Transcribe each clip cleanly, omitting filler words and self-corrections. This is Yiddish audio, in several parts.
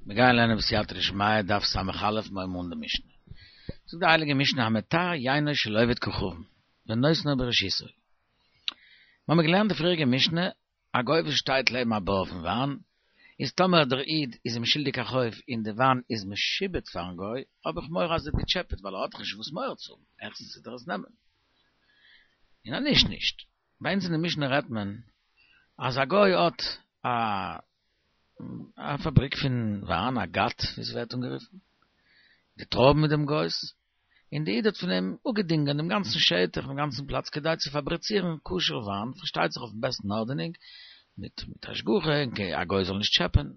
מיר גייען לערנען בסייעתא דשמיא דף ס"א מיר הייבן אן די משנה. זאגט די הייליגע משנה המטהר יינו של עובד כוכבים ונותנו ברשותו. מיר האבן געלערנט די פריעריגע משנה, א גוי וואס שטייט לעבן א בור פון וויין, איז טאמער דער איד איז אים שולדיג א חוב און די וויין איז משועבד פארן גוי, האב איך מורא אז ער האט געטשעפעט ווייל ער האט דאך נישט וואס מורא צו האבן, העכסטנס וועט ער עס נעמען. און אז נישט נישט. ביי אונז אין די משנה רעדט מען אז א גוי האט א א פאבריק פון וויין, א גת ווי עס ווערט אנגערופן, די טרויבן איז דעם גוי'ס, און די איד האט פון אים אפגעדינגען דעם גאנצן שטח, דעם גאנצן פלאץ כדי צו פאבריצירן כשר וויין, פארשטייט זיך אויפן בעסטן ארדענונג, מיט מיט השגחה, און א גוי זאל נישט טשעפען.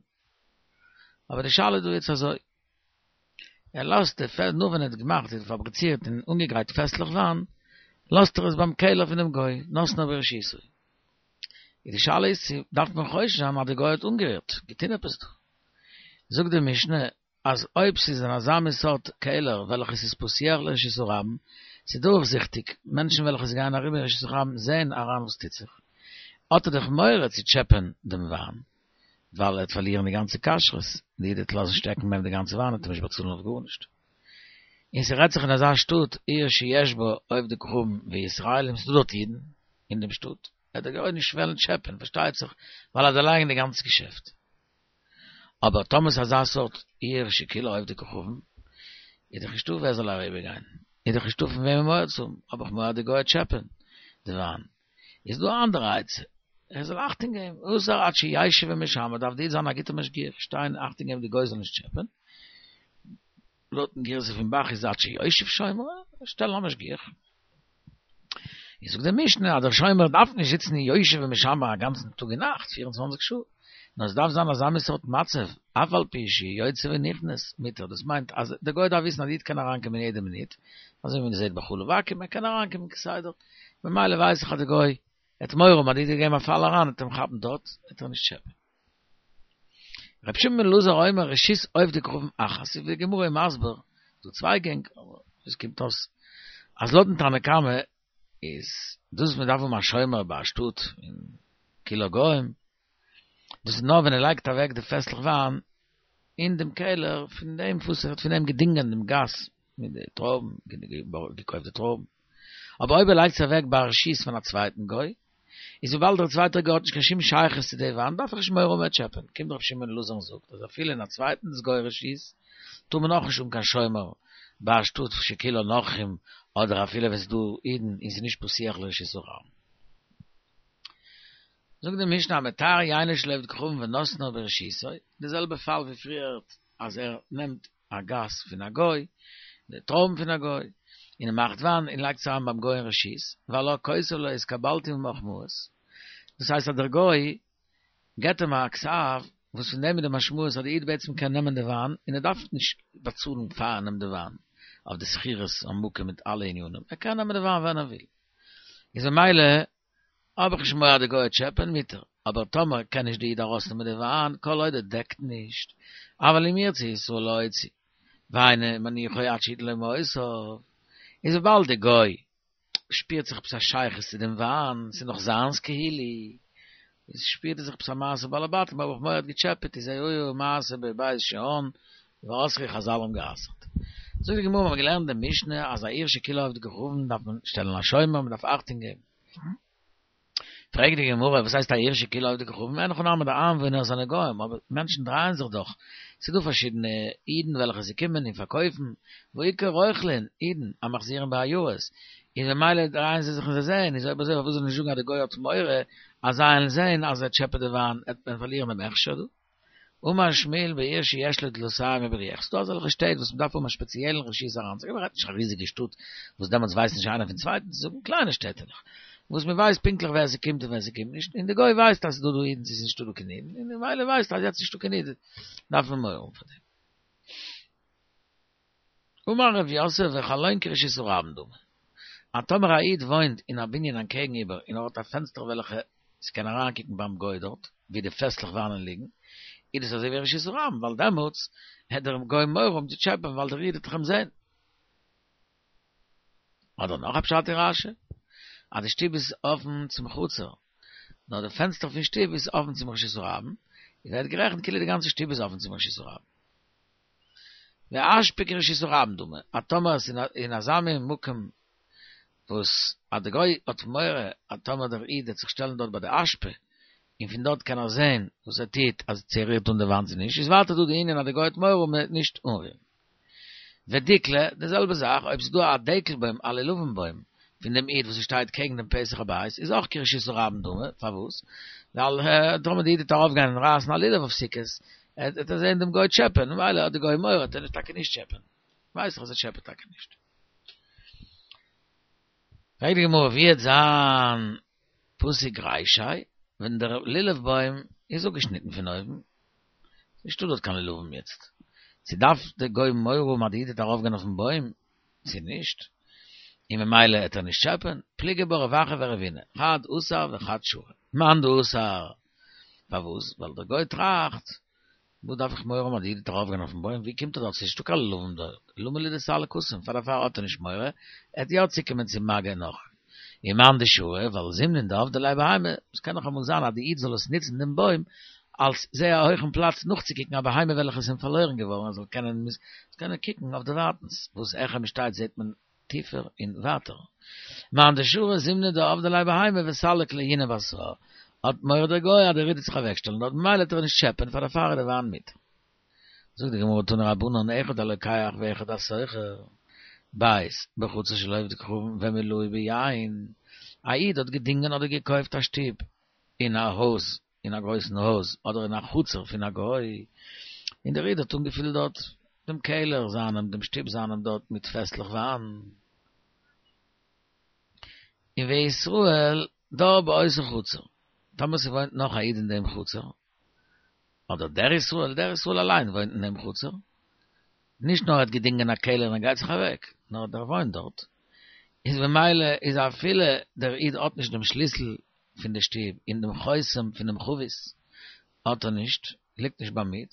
אבער די שאלה איז דא יעצט אזוי, ער לאזט די פעס, נאך ווען ער האט געמאכט און פאבריצירט און אנגעגרייט פעסלעך וויין, לאזט ער עס ביים קעלער פונעם גוי, נתנו ברשותו. איז די שאלה איז צו דארף מען חושש זיין אז די גוי האט אנגערירט, געטון עפעס דא. זאגט די משנה אז אויב ס'איז אין אזא מין סארט קעלער וועלכע ס'איז פתוח לרשות הרבים, ס'איז דורכזיכטיג, מענטשן וועלכע ס'גייען אריבער אין רשות הרבים זעען אריין וואס טוט זיך, האט ער דאך מורא צו טשעפען דעם וויין, ווייל ער וועט פארלירן די גאנצע כשרות, די איד וועט לאזן שטעקן ביי אים די גאנצע וויין וועט ער נישט באצאלן אויף גארנישט. און ס'רעדט זיך אין אזא שטאט עיר שיש בה עובדי כוכבים וישראלים, ס'דא דארט אידן אין דעם שטאט, וועט דער גוי נישט וועלן טשעפען, פארשטייט זיך, ווייל ער וועט דערלייגן די גאנצע געשעפט. אבער טאמער ס'איז אזא סארט עיר שכולה עובדי כוכבים, איז דאך נישטא ווער זאל אריבערגיין, איז דאך נישטא פון וועמען מורא צו האבן, האב איך מורא אז די גוי וועט טשעפען די וויין. איז דא א אנדערע עצה, ער זאל אכטונג געבן, אסור עד שישב ומשמר, דארף די איד זיין א גוטער משגיח, שטיין אכטונג געבן די גוי זאל נישט טשעפען, לויטן גירסא פון ב"ח איז עד שיושב שומר, שטעלן א משגיח. איז זאגט די משנה אז דער שומר דארף נישט זיצן אין יושב ומשמר א גאנצן טאג און נאכט, פיר און צוואנציג שעה, נאר עס דארף זיין אזא מין סארט מצב, אף על פי שיוצא ונכנס מותר, דאס מיינט אז דער גוי דארף וויסן אז די איד קען אריינקומען יעדע מינוט, אזוי ווי מען זעט ביי חלב עכו"ם, ער קען אריינקומען כסדר, ממילא ווייס איך אז די גוי וועט מורא האבן אז די איד וועט געבן א פאל אריין וועט אים כאפן דארט, וועט ער נישט טשעפען. רבי שמעון בן אלעזר אומר רשות עובדי כוכבים אחת, איז ווי די גמרא איז מסביר, דא צוויי גענג, אבער עס קומט אויס אז לויטן תנא קמא איז דאס וואס מען דארף האבן א שומר ביי א שטאט אין כולה גוים, דאס איז נאר ווען ער לייגט אוועק די פעסלעך וויין אין דעם קעלער פון דעם וואס ער האט פון אים געדינגען דעם גת מיט די טרויבן, געקויפט די טרויבן. אבער אויב ער לייגט עס אוועק ברשות פון א צווייטן גוי, איז וויבאלד דער צווייטער גוי האט נישט קיין שום שייכות צו די וויין, דארף איך נישט מורא האבן ער וועט טשעפען. קומט רבי שמעון אלעזר און זאגט אז אפילו אין א צווייטנס גוי רשות, טאר מען אויך נישט האבן קיין שומר ביי א שטאט שכולה נכרים, אדער אפילו ווען ס'איז דא אידן און ס'איז נישט פתוח לרשות הרבים. זאגט די משנה המטהר יינו של עובד כוכבים ונתנו ברשותו, די זעלבע פאל ווי פריערט אז ער נעמט א גת פון א גוי, די טרויבן פון א גוי, און ער מאכט וויין און לייגט עס אריין ביים גוי אין רשות, והלה כותב לו התקבלתי ממך מעות, דאס הייסט אז דער גוי געבט אים א כתב וואס פון דעם איז די משמעות אז די איד בעצם קען נעמען די וויין און ער דארף נישט באצאלן פאר ער נעמט די וויין אויף די שכירות המקום מיט אלע ענינים, ער קען נעמען די וויין ווען ער וויל, איז ממילא האב איך נישט מורא אז די גוי וועט טשעפען מותר, אבער טאמער קען נישט די איד ארויסנעמען די וויין כל עוד ער דעקט נישט, אבל אם ירצה ישראל להוציא, ואינו מניחו עד שיתן לו מעותיו, איז וויבאלד די גוי שפירט זיך עפעס א שייכות צו דעם וויין, ס'איז נאך זיינס כאילו, איז שפירט ער זיך עפעס א מעשה בעל הבתים, האב איך מורא ער האט געטשעפעט, איז היה מעשה בבית שאן, ואסרו חזל האבן גע'אסר'ט. זאגט די גמרא, מיר האבן געלערנט די משנה אז א עיר שכולה עובדי כוכבים דארף מען שטעלן א שומר, מען דארף אכטונג געבן. פרעגט די גמרא, וואס הייסט א עיר שכולה עובדי כוכבים? אין הכי נמי די איינוואוינער זענען גוים, אבער מענטשן דרייען זיך דאך, ס'איז דא פארשידענע אידן וועלכע זיי קומען און פארקויפן, והאיכא רוכלין, אידן, המחזירים בעיירות, און ממילא דרייען זיי זיך און זיי זעען, איז אויב אזוי פארוואס זאל מען נישט זאגן אז די גוי האט מורא אז זיי וועלן זען אז ער טשעפעט די וויין, עט מען פארלירן דעם הכשר דא? אמר שמואל בעיר שיש לה דלתים ובריח, ס'דא אזעלכע שטעט וואס מ'דארף האבן א שפעציעלן רשות אריינצוגיין, מ'רעדט נישט א ריזיגע שטאט וואס דעמאלטס ווייסט נישט איינער פון צווייטן, ס'איז קליינע שטעטעלעך וואס מ'ווייסט פונקטליך ווער ס'קומט און ווער ס'קומט נישט, און די גוי ווייסט אז ס'דא דא אידן צו ס'איז נישטא דא קיין אידן, און ממילא ווייסט אז יעצט איז נישטא קיין איד דארף מען מורא האבן פאר דעם. אמר רב יוסף וחלון כרשות הרבים דמי, אז טאמער א איד וואוינט אין א בנין אנטקעגן איבער און ער האט א פענסטער וועלכע ס'קען אריינקוקן ביים גוי דארט ווי די פעסלעך וויינען ליגן, איז דאס אזוי ווי רשות הרבים ווייל דעמאלטס העט דער גוי מורא האבן צו טשעפען ווייל דער איד וועט דאך אים זען. אדער נאך א פשט אין רש"י אז די שטוב איז אפן צום חצר, נאר די פענסטער פון שטוב איז אפן צום רשות הרבים, איז ווערט גערעכנט כאילו די גאנצע שטוב איז אפן צום רשות הרבים. ואשפה כרשות הרבים דמי, אז טאמער עס איז אין אזא מין מקום וואס אז די גוי האט מורא אז טאמער דער איד וועט זיך שטעלן דארט ביי די אשפה און פון דארט קען ער זען וואס ער טוט אז צו ער רירט אן די וויין צו נישט, איז ווייטער דא די ענין אז די גוי האט מורא און מען וועט נישט אנרירן. ודיקלא, די זעלבע זאך אויב ס'איז דא א דקל בוים א לולבים בוים פון דעם איד וואס עס שטייט קעגן דעם פתח הבית איז אויך כרשות הרבים דמי, פארוואס? ווייל טאמער די איד וועט ארויף גיין און רייסן א לולב אויף סוכות וועט ער זען דעם גוי טשעפען ממילא האט די גוי מורא וועט ער טאקע נישט טשעפען. ווייס איך אז ער טשעפעט טאקע נישט. פרעגט די גמרא ווי וועט זיין פסיק רישיה ווען דער לולב בוים איז אפגעשניטן פון אויבן, נישטא דארט קיין לולבים יעצט, צו דארף דער גוי מורא האבן אז די איד וועט ארויפגיין אויפן בוים צו נישט, און ממילא העט ער נישט טשעפען, פליגי בה רב אחא ורבינא, חד אסר וחד שרא, מאן דאסר, פארוואס? ווייל דער גוי טראכט וואס דארף איך מורא האבן אז די איד וועט ארויפגיין אויפן בוים, ווי קומט ער דארט, ס'איז נישטא קיין לולבים דארט, למה לי דסליק התם, פאר דערפאר האט ער נישט מורא, ער וועט יא צוקומען צו מגע נאך. ומאן דשרא, ווייל זימנין דעבדי ליה בהמה, עס קען נאך אמאל זיין אז די איד זאל עס נוצן דעם בוים אלס זייער א הויכן פלאץ נאכצוקוקן א בהמה וועלכע איז אים פארלוירן געווארן ער זאל קענען קענען קוקן אויף דערווייטנס, וואס העכער מען שטייט זעט מען טיפער און ווייטער. מאן דשרא זימנין דעבדי ליה בהמה וסליק לעיוני בתרה, האט מורא דער גוי אז דער איד וועט זיך אוועקשטעלן דארט ממילא וועט ער נישט טשעפען פאר דערפאר איז די וויין מותר. זאגט די גמרא תנו רבנן אחד הלוקח ואחד השוכר, בית בחצר של עובדי כוכבים ומילאהו ביין, א איד האט געדינגען אדער געקויפט א שטוב אין א הויז אין א גרויסן הויז אדער אין א חצר פון א גוי, און דער איד האט אנגעפילט דארט דעם קעלער זיינעם, דעם שטוב זיינעם דארט מיט פעסלעך וויין. און וישראל דר באותה חצר, טאמער ס'וואוינט נאך א איד אין דעם חצר, אדער דער ישראל, דער ישראל אליין וואוינט אין דעם חצר, נישט נאר ער האט געדינגען א קעלער און ער גייט זיך אוועק, נאר דער וואוינט דארט, איז ממילא איז אפילו דער איד האט נישט דעם שליסל פון די שטוב און דעם חותם פונעם חבית האט ער נישט, ליגט נישט ביים איד,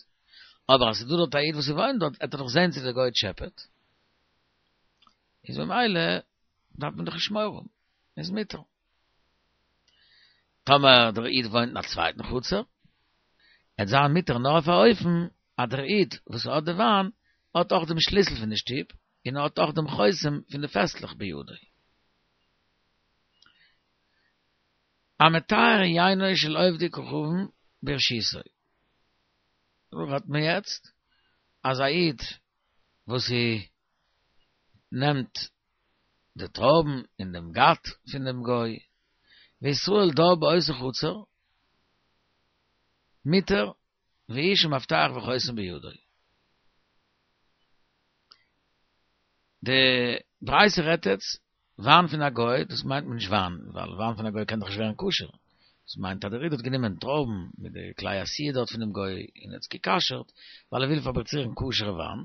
אבער אז ס'איז דא דארט א איד וואס וואוינט דארט עט ער דאך זען צו דער גוי טשעפעט, איז ממילא דארף מען דאך נישט מורא האבן, איז מותר. טאמער דער איד וואוינט אין א צווייטן חצר, עט זיין מותר נאר אויף א אופן אז דער איד וואס האט די וויין האט אויך דעם שליסל פון די שטוב און ער האט אויך דעם חותם פון די פעסלעך בידו. המטהר יינו של עובדי כוכבים ברשותו. דא רעדט מען יעצט אז א איד וואס נעמט די טרויבן אין דעם גת פון דעם גוי, וישראל דר באותה חצר, מותר והוא שמפתח וחותם בידו. די ברייתא רעדט יעצט וויין פון א גוי, דאס מיינט מען נישט וויין, ווייל וויין פון א גוי קען דאך נישט ווערן כשר, דאס מיינט אז דער איד האט גענומען טרויבן מיט די כלי עשיה דארט פונעם גוי און האט עס גע'כשר'ט, ווייל ער וויל פאבריצירן כשר'ע וויין,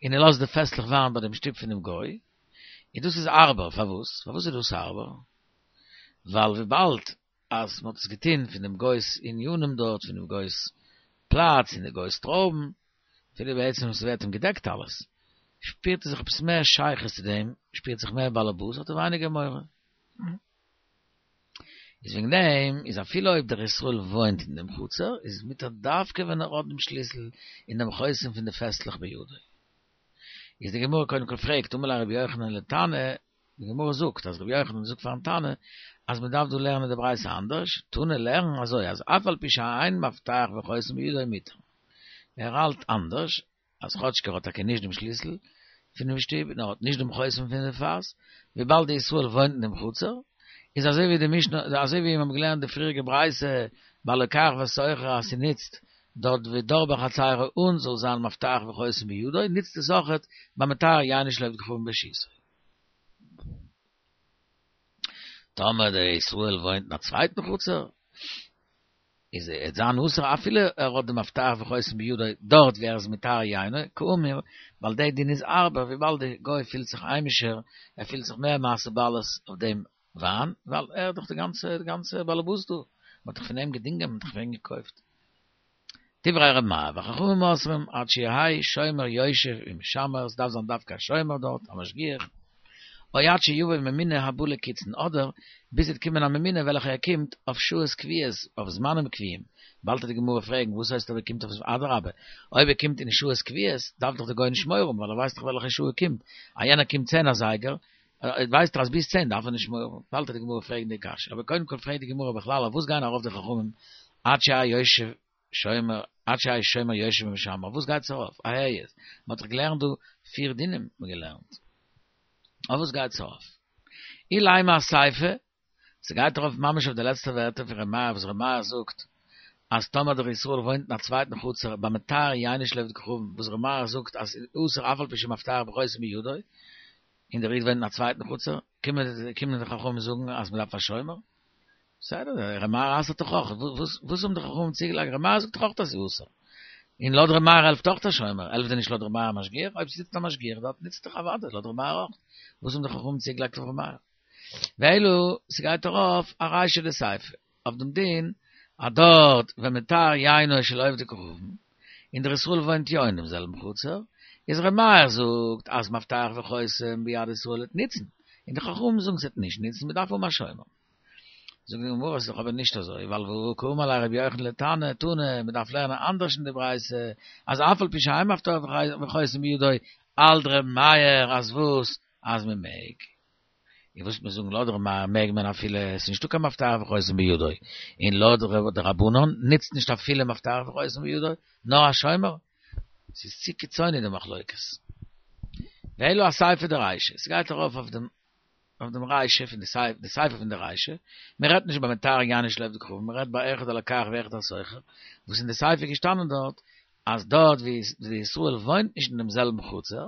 און ער לאזט די פעסלעך וויין ביי דעם שטוב פונעם גוי, און דאס איז הארבער, פארוואס? פארוואס איז דאס הארבער? ווייל וויבאלד אז מען האט עס געטון פון דעם גוי'ס עניינים דארט, פון דעם גוי'ס פלאץ, און די גוי'ס טרויבן, אפילו בעצם ס'ווערט אים געדעקט אלעס, שפירט ער זיך עפעס מער שייכות צו דעם, שפירט זיך מער באלעבאס, האט ער ווייניגער מורא. איז וועגן דעם איז אפילו אויב דער ישראל וואוינט אין דעם חצר, איז מותר דווקא ווען ער האט דעם שליסל און דעם חותם פון די פעסלעך בידו. איז די גמרא קודם כל פרעגט, אמר ליה רבי יוחנן לתנא, די גמרא זאגט אז רבי יוחנן זאגט פארן תנא אז מען דארף דא לערנען די ברייתא אנדערש, תנא לערן אזוי אז אף על פי שאין מפתח וחותם בידו מותר. ער האלט אנדערש, אז כאטשיג ער האט טאקע נישט דעם שליסל פונעם שטוב און ער האט נישט דעם חותם פון די פאס, וויבאלד די ישראל וואוינט אין דעם חצר, איז אזוי ווי די משנה, אזוי ווי מיר האבן געלערנט די פריעריגע ברייתא ביי לוקח ושוכר אז ס'נוצט דארט ודר בחצירו און זאל זיין מפתח וחותם בידו, נוצט עס אויכעט ביי מטהר יינו של עובד כוכבים ברשותו. טאמער דער ישראל וואוינט אין א צווייטן חצר, איז עט זיין אסור אפילו ער האט די מפתח וחותם בידו דארט ווי ער איז מטהר יינו, כאמור, ווייל דער דין איז הארבער וויבאלד די גוי פילט זיך היימישער, ער פילט זיך מער מעשה בעלות אויף דעם וויין, ווייל ער איז דאך די גאנצע די גאנצע באלעבאס דא, מען האט דאך פון אים געדינגען, מען האט דאך פון אים געקויפט. דברי ר' מאיר, וחכמים אוסרים עד שיהא שומר יושב ומשמר, עס דארף זיין דווקא א שומר דארט, א משגיח. או עד שיבוא ממונה הבא לקיצין, אדער ביז ס'וועט קומען א ממונה וועלכע ער קומט אויף שעות קביעות, אויף זמנים קביעים, באלד וועט די גמרא פרעגן וואס הייסט אויב ער קומט אויף אדרבה, אויב ער קומט אין שעות קביעות דארף דאך די גוי נישט מורא האבן ווייל ער ווייסט דאך וועלכע שעה ער קומט, אז יענער קומט צען אזייגער ווייסט ער אז ביז צען דארף ער נישט מורא האבן, באלד וועט די גמרא פרעגן די קשיא, אבער קודם כל פרעגט די גמרא בכלל אויף וואס גייען ארויף די חכמים עד שיהא יושב שומר עד שיהא שומר יושב ומשמר, וואס גייט עס ארויף? אהער יעצט, מען האט דאך געלערנט דא פיר דינים האט מען געלערנט, אויף וואס גייט עס ארויף? אילימא אסיפא, ס'גייט ארויף ממש אויף די לעצטע ווערטער פון ר' מאיר וואס ר' מאיר זאגט אז טאמער דער ישראל וואוינט אין א צווייטן חצר במטהר יינו של עובד כוכבים וואס ר' מאיר זאגט אז אסור אף על פי שמפתח וחותם בידו און דער איד וואוינט אין א צווייטן חצר קומען די חכמים זאגן אז מ'דארף א שומר? בסדר, ר' מאיר אסר'ט דאך אויך, וואס האבן די חכמים צוגעלייגט? ר' מאיר זאגט דאך אויך אז ס'איז אסור. און לויט ר' מאיר העלפט אויך א שומר, העלפט דען נישט לויט ר' מאיר א משגיח? אויב ס'זיצט א משגיח דארט נוצט דאך אוודאי לויט ר' מאיר אויך. וואס האבן די חכמים צוגעלייגט אויף ר' מאיר? ואלא, ס'גייט ארויף ארישא דסיפא, אויף דעם דין אז דארט ווען מטהר יינו של עובדי כוכבים, און דער ישראל וואוינט יא אין דעם זעלבן חצר, איז ר' מאיר זאגט אז מפתח וחותם ביד ישראל וועט נוצן, און די חכמים זאגן ס'וועט נישט נוצן, מ'דארף האבן א שומר. זאגט די גמרא ס'איז דאך אבער נישט אזוי, ווייל והא קאמר ליה רבי יוחנן לתנא, תנא, מ'דארף לערנען אנדערש אין די ברייתא, אז אף על פי שאין מפתח וחותם בידו, האלט ר' מאיר אז וואס? אז מ'מעג. און וואס וועט מען זאגן לויט ר' מאיר מעג מען אפילו עס איז נישטא קיין מפתח וחותם בידו, און לויט די רבנן נוצט נישט אפילו מפתח וחותם בידו, נאר א שומר? ס'איז צו קיצוני די מחלוקת. ואלא אסיפא דרישא, ס'גייט ארויף אויף דעם אויף דעם רישא פון די סיפא, די סיפא פון די רישא, מען רעדט נישט ביי מטהר יינו של עובד כוכבים, מען רעדט ביי אחד הלוקח ואחד השוכר, וואס אין די סיפא איז געשטאנען דארט אז דארט ווי די ישראל וואוינט נישט אין דעם זעלבן חצר,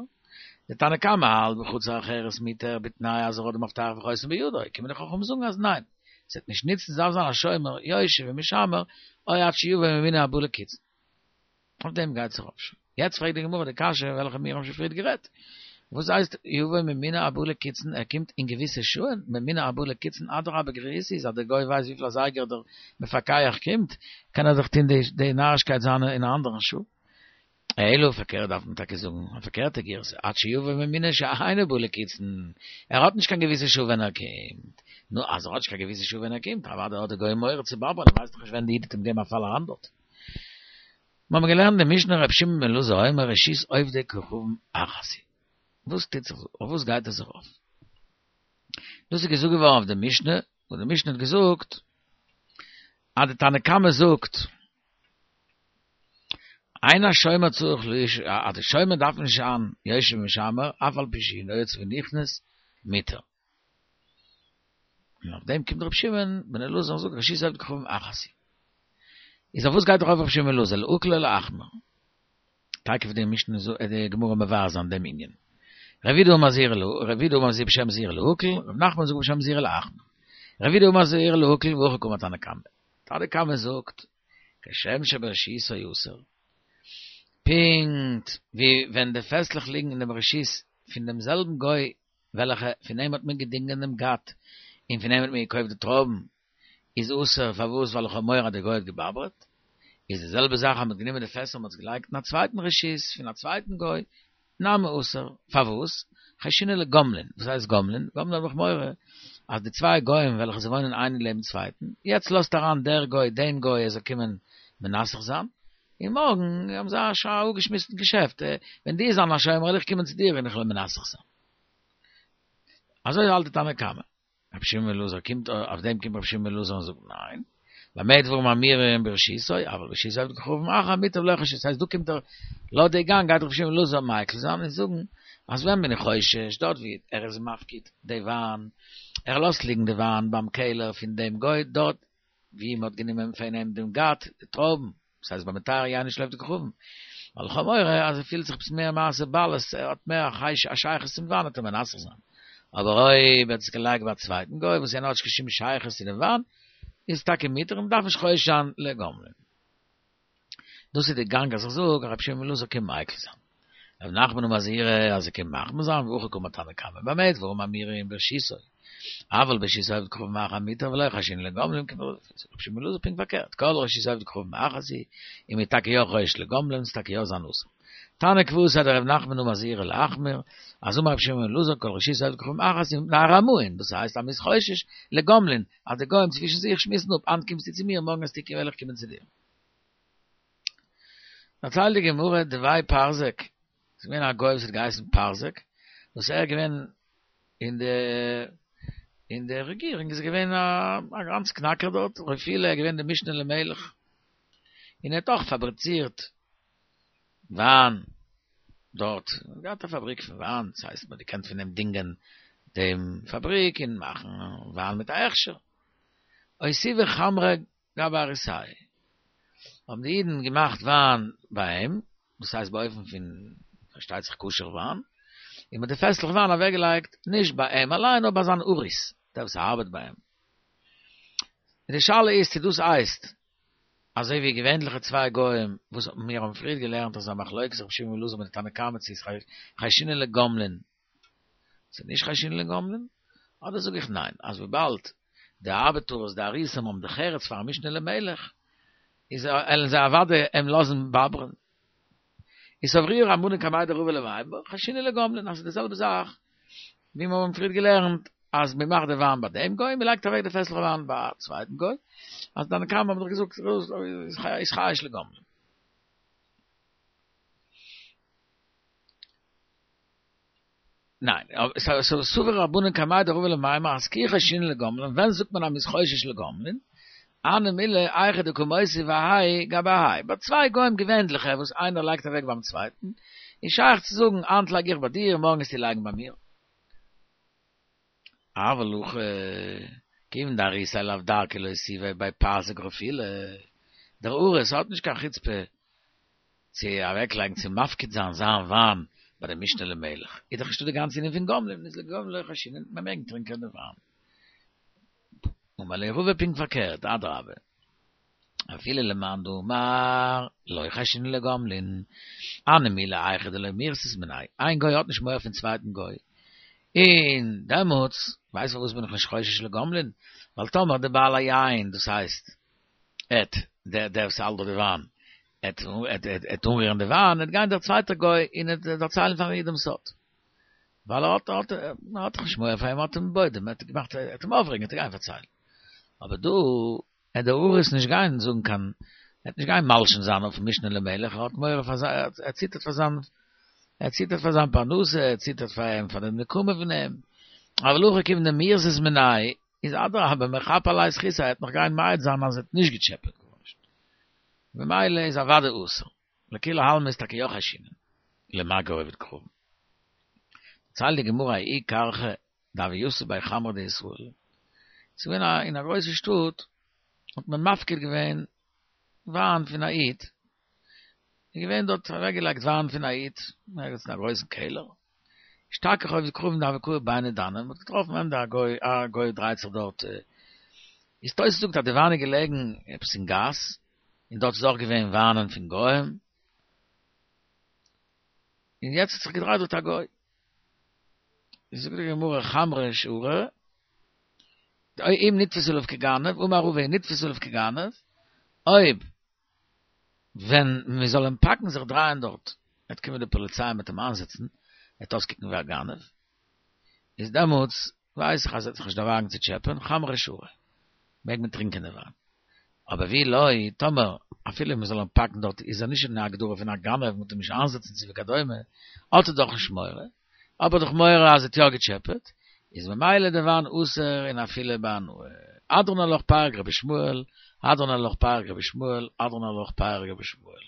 די תנא קמא האלט בחצר אחרת מותר בתנאי אז ער האט די מפתח וחותם בידו, קומען די חכמים זאגן אז ניין, ס'וועט נישט נוצן, ס'דארף זיין א שומר יושב ומשמר, או עד שיבוא ממונה הבא לקיצין. אויף דעם גייט זיך אויף. יעצט פרעגט די גמרא די קשיא וועלכע מיר האבן שוין פריערט גערעדט. וואס הייסט יבוא ממונה הבא לקיצין ער קומט אין געוויסע שעה'ן, ממונה הבא לקיצין אדרבה גריסי איז אז דער גוי ווייסט וויפיל אזייגער דער מפקח קומט קען ער זיך טוהן די נארישקייט זיינע אין א אנדערן שעה. אלא פארקערט דארף מען טאקע זאגן א פארקערטע גירסא עד שיבוא ממונה שאינו בא לקיצין ער האט נישט קיין געוויסע שעה ווען ער קומט. נו אז ער האט נישט קיין געוויסע שעה ווען ער קומט אוודאי האט דער גוי מורא צו באבערן ער ווייסט דאך נישט ווען די איד וועט אים געבן א פאל אריין דארט. מיר האבן געלערנט די משנה ר' שמעון בן אלעזר אומר רשות עובדי כוכבים אחת היא. וואס טוט זיך אויף וואס גייט עס זיך אויף? דאס איז געזאגט געווארן אויף די משנה, וואס די משנה האט געזאגט אז די תנא קמא זאגט אין השומר צריך ליש אז די שומר דארף נישט זיין יושב ומשמר אף על פי שהוא יוצא ונכנס מותר. און אויף דעם קומט רבי שמעון בן אלעזר און זאגט רשות עובדי כוכבים אחת היא. איז אויף וואס גייט ארויף רבי שמעון בן אלעזר לעוקל או לאחמיר? תיכף וועט די משנה די גמרא מבאר זיין דעם ענין. רב יהודה אמר זהירא רב יהודה אמר בשם זהירא להקל, רב נחמן זאגט בשם זהירא להחמיר. רב יהודה אמר זהירא להקל והכי קאמר תנא קמא. תנא קמא זאגט כשם שברשותו אסור. פונקט ווי ווען די פעסלעך ליגן אין דעם רשות פון דעם זעלבן גוי וועלכע פון אים האט מען געדינגען דעם גת, און פון אים האט מען געקויפט די טרויבן, איז אסור, פארוואס? ווייל איך האב מורא אז דער גוי האט געבאבערט. איז די זעלבע זאך אז מען האט גענומען די פעסער און מען האט עס געלייגט אין א צווייטן רשות פון א צווייטן גוי, נמי אסור, פארוואס? חיישינן לגומלין, וואס הייסט גומלין? גומלין האב איך מורא אז די צוויי גוים וועלכע זיי וואוינען איינער לעבן צווייטן, יעצט לאזט אריין דער גוי דעם גוי ער זאל קומען מנסך זיין, און מארגן האבן זיי שוין א אפגעשמועסטן געשעפט, ווען דו וועסט זיין א שומר וועל איך קומען צו דיר און איך וועל מנסך זיין. אזוי האלט די תנא קמא. רבי שמעון בן אלעזר קומט, אויף דעם קומט רבי שמעון בן אלעזר און זאגט ניין, במה דברים אמורים ברשותו, אבל ברשות עובד כוכבים אחר מוטב לא חיישינן, ס'הייסט דא קומט ער, לויט די גאנג גייט רבי שמעון בן אלעזר מיקל זיין און זאגן אז ווען בין איך חושש, דארט ווי ער איז מפקיד די וויין, ער לאזט ליגן די וויין ביים קעלער פון דעם גוי דארט ווי מ'האט גענומען פון אים דעם גת, די טרויבן, דאס הייסט ביי מטהר יינו של עובדי כוכבים, ווייל איך האב מורא אז ער פילט זיך עפעס מער מעשה בעלות, ער האט מער א שייכות צום וויין וועט ער מנסך זיין. אבער אויב ער האט עס געלייגט ביי א צווייטן גוי וואס יענער האט נישט קיין שום שייכות צו דעם וויין, איז טאקע מותר און מ'דארף נישט חושש זיין לגומלין. דאס איז די גאנג אז איך זאג אז רבי שמעון בן אלעזר קען מיקל זיין. רב נחמן אמר זהירא אז ער קען מחמיר זיין והכי קאמר תנא קמא במה דברים אמורים ברשותו. אבל ברשות העובד כוכבים אחר מותר ולא חיישינן לגומלין, רבי שמעון בן אלעזר פונקט פארקערט, כל רשות עובד כוכבים אחת היא, און מ'איז טאקע יא חושש לגומלין, ס'איז טאקע יא זיין אסור. תניא כוותיה דרב נחמן אמר זעירי להחמיר, אז אמר רבי שמעון בן אלעזר כל רשות עובד כוכבים אחת היא מפני הרמאין, דאס הייסט אז מ'איז חושש לגומלין, אז די גוים צווישן זיך שמועסן אפ, היינט קומסטו צו מיר, מארגן וועסטו וועל איך קומען צו דיר. דערציילט די גמרא דבי פרזק, ס'איז געווען א גוי וואס האט געהייסן פרזק, וואס ער איז געווען אין די אין די רעגירונג איז ער געווען א גאנץ קנאקער דארט, רפילא ער איז געווען די משנה למלך, און ער האט אויך פאבריצירט וויין דארט, ער האט געהאט א פאבריק פון וויין, דאס הייסט מען האט געקענט פון אים דינגען דעם פאבריק און מאכן וויין מיט א הכשר. אותיבו חמרא גבי אריסייהו, האבן די אידן געמאכט וויין ביי אים, דאס הייסט באופן פון פארשטייט זיך כשר וויין, און מ'האט די פעסלעך וויין אוועקגעלייגט נישט ביי אים אליין נאר ביי זיין אריס, דער וואס ארבעט ביי אים. און די שאלה איז צו דאס הייסט אזוי ווי געווענליכע צוויי גוים וואס מיר האבן פריער געלערנט אז א מחלוקת רבי שמעון בן אלעזר מיט די תנא קמא צו איז חיישינן לגומלין צו נישט חיישינן לגומלין, אדער זאג איך ניין אז וויבאלד די ארבעטארס די אריסים האבן דרך ארץ פארן משנה למלך איז עלן זיי אוודאי אים לאזן באברען. איז סברוה רבנן קמיה דרבא למימר חיישינן לגומלין אז ס'איז די זעלבע זאך ווי מיר האבן פריער געלערנט אז מען מאכט די וויין ביי דעם גוי, מען לייגט אוועק די פעסלעך וויין ביי א צווייטן גוי, אז תנא קמא האבן דאך געזאגט איז חייש לגומלין. ניין, סבור רבנן קמיה דרבא למימר אז כי חיישינן לגומלין, ווען זאגט מען אז מ'איז חושש לגומלין? הני מילי היכא דקא מותיב האי גבי האי, ביי צוויי גוים געווענדליכע וואס איינער לייגט אוועק ביים צווייטן, איז שייך צו זאגן היינט לייג איך ביי דיר מארגן וועסטו לייגן ביי מיר. אבל הכא, כיוון דאריסיה לאו דרכיה לאותובי בי פרזק רפילא, דער אריס האט נישט קיין חוצפה צו אוועקלייגן צו מפקיד זיין זיין וויין ביי די משנה למלך, איז דאך נישטא די גאנצע ענין פון גומלין, איז לגומלין לא חיישינן, מען מעג טרינקען די וויין. אמר ליה רבא פונקט פארקערט, אדרבה, אפילו למאן דאמר לא חיישינן לגומלין, הני מילי היכא דלא מירתת מיניה, איין גוי האט נישט מורא פון צווייטן גוי, און דעמאלטס, ווייסט פארוואס בין איך נישט חושש לגומלין? ווייל טאמער די בעל היין, דאס הייסט, עט, דער דער וואס האלט דארט די וויין, עט עט עט אנרירן די וויין, עט גיין דער צווייטער גוי און עט דערציילן פארן איד דעם סוד. ווייל ער האט האט ער האט דאך נישט מורא פאר אים, ער האט אים בוידעם, ער האט געמאכט, ער עט אים אויפרעגן, עט ער גיין פארציילן. אבער דא, עט דער אריס נישט גיין זאגן קיין, עט נישט גיין מלשין זיין אויפן משנה למלך, ער האט מורא פאר זיין, ער ציטערט פאר זיין, ער ציטערט פאר זיין פרנסה, ער ציטערט פאר אים, פאר די נקמה פון אים. אבל הכא כיוון דמירתת מיניה, איז אדרבה מחפי עליה זכותיה, ער וועט נאך גיין מעיד זיין אז ער האט נישט געטשעפעט גארנישט, ממילא איז אוודאי אסור, לכולי עלמא איז טאקע יא חיישינן, למגע עובד כוכבים. דערציילט די גמרא ההוא כרכא דהוה יתיב ביה חמרא דישראל, ס'איז געווען א אין א גרויסע שטאט האט מען מפקיר געווען וויין פון א איד, איז געווען דארט אוועקגעלייגט וויין פון א איד, ערגעץ אין א גרויסן קעלער, אשתכח עובד כוכבים דהוה קאי ביני דני, מ'האט געטראפן ענדע א גוי, א גוי דרייט זיך דארט, איז תוס' זאגט אז די וויין איז געלעגן עפעס אין גאס, און דארט איז אויך געווען וויינען פון גוים, און יעצט האט זיך געדרייט דארט א גוי. זאגט די גמרא חמרא שרי, אם נתפס עליו כגנב, אמר רבא אם נתפס עליו כגנב, אויב ווען מען זאל אים פאקן זיך דרייען דארט, וועט קומען די פאליציי מ'וועט אים איינזעצן, ער וועט אויסקוקן ווי א גנב, איז דעמאלטס ווייס איך אז ער וועט זיך נישט דערוואגן צו טשעפען, חמרא שרי, מעג מען טרינקען די וויין. אבער ואי לא, טאמער אפילו מען זאל אים פאקן דארט איז ער נישט אין א הגדרה פון א גנב, מען וועט אים נישט איינזעצן צו וכדומה, האט ער דאך נישט מורא, האב ער דאך מורא אז ער האט יא געטשעפעט, איז ממילא די וויין אסור און אפילו בהנאה. הדרן עלך פרק רבי ישמעאל, הדרן עלך פרק רבי ישמעאל, הדרן עלך פרק רבי ישמעאל.